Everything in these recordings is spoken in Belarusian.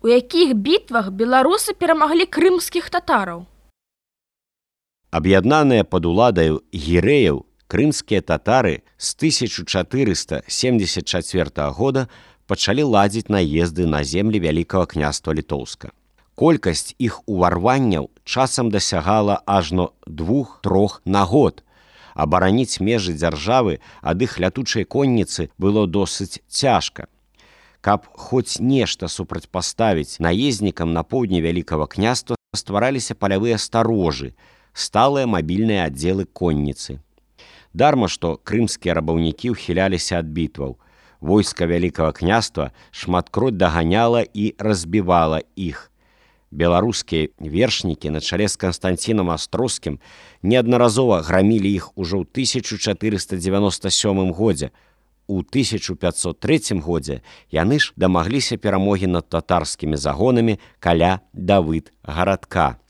У якіх бітвах беларусы перамаглі крымскіх татараў? Аб'яднаныя пад уладаю гірэяў, крымскія татары з 1474 года пачалі ладзіць наезды на землі Вялікага княства Літоўска. Колькасць іх уварванняў часам дасягала ажно 2-3 на год. Абараніць межы дзяржавы ад іх лятучай конніцы было досыць цяжка. Каб хоць нешта супрацьпаставіць наезднікам на поўдні Вялікага княства, ствараліся палявыя старожы, сталыя мабільныя аддзелы конніцы. Дарма, што крымскія рабаўнікі ўхіляліся ад бітваў. Войска Вялікага княства шматкроць даганяла і разбівала іх. Беларускія вершнікі на чале з Канстанцінам Астроскім неаднаразова грамілі іх ужо ў 1497 годзе. У 1503 годзе яны ж дамагліся перамогі над татарскімі загонамі каля Давыд-гарадка.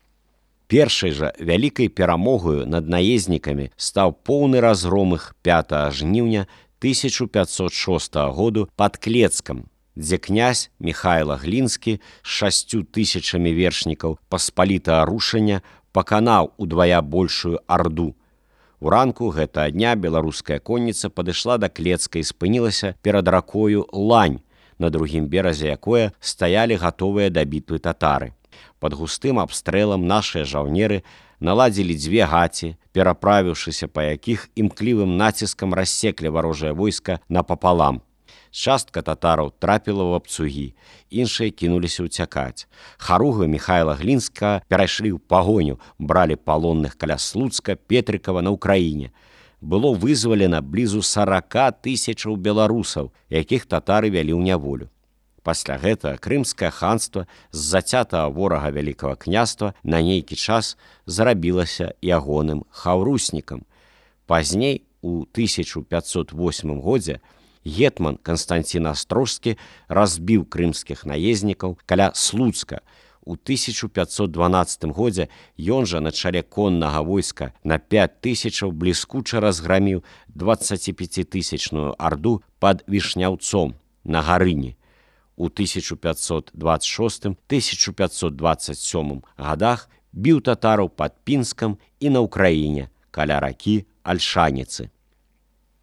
Першай жа вялікай перамогою над наезднікамі стаў поўны разгром іх 5 жніўня 1506 году пад Клецкам, дзе князь Міхайла Глінскі з 6000 вершнікаў паспалітага рушання паканаў удвая большую арду. Уранку гэтага дня беларуская конніца падышла да Клецка і спынілася перад ракою Лань, на другім беразе якое стаялі гатовыя да бітвы татары. Пад густым абстрэлам нашыя жаўнеры наладзілі 2 гаці, пераправіўшыся па якіх імклівым націскам рассеклі варожае войска напапалам. Частка татараў трапіла ў абцугі, іншыя кінуліся ўцякаць. Харугвы Міхайла Глінскага перайшлі ў пагоню, бралі палонных каля Слуцка, Петрыкава на Ўкраіне. Было вызвалена блізу 40 000 беларусаў, якіх татары вялі ў няволю. Пасля гэтага крымскае ханства з зацятага ворага Вялікага княства на нейкі час зрабілася ягоным хаўруснікам. Пазней, у 1508 годзе, гетман Канстанцін Астрожскі разбіў крымскіх наезднікаў каля Слуцка. У 1512 годзе ён жа на чале коннага войска на 5000 бліскуча разграміў 25-000 арду пад Вішняўцом на Гарыні. У 1526-1527 годах біў татараў пад Пінскам і на Ўкраіне каля ракі Альшаніцы.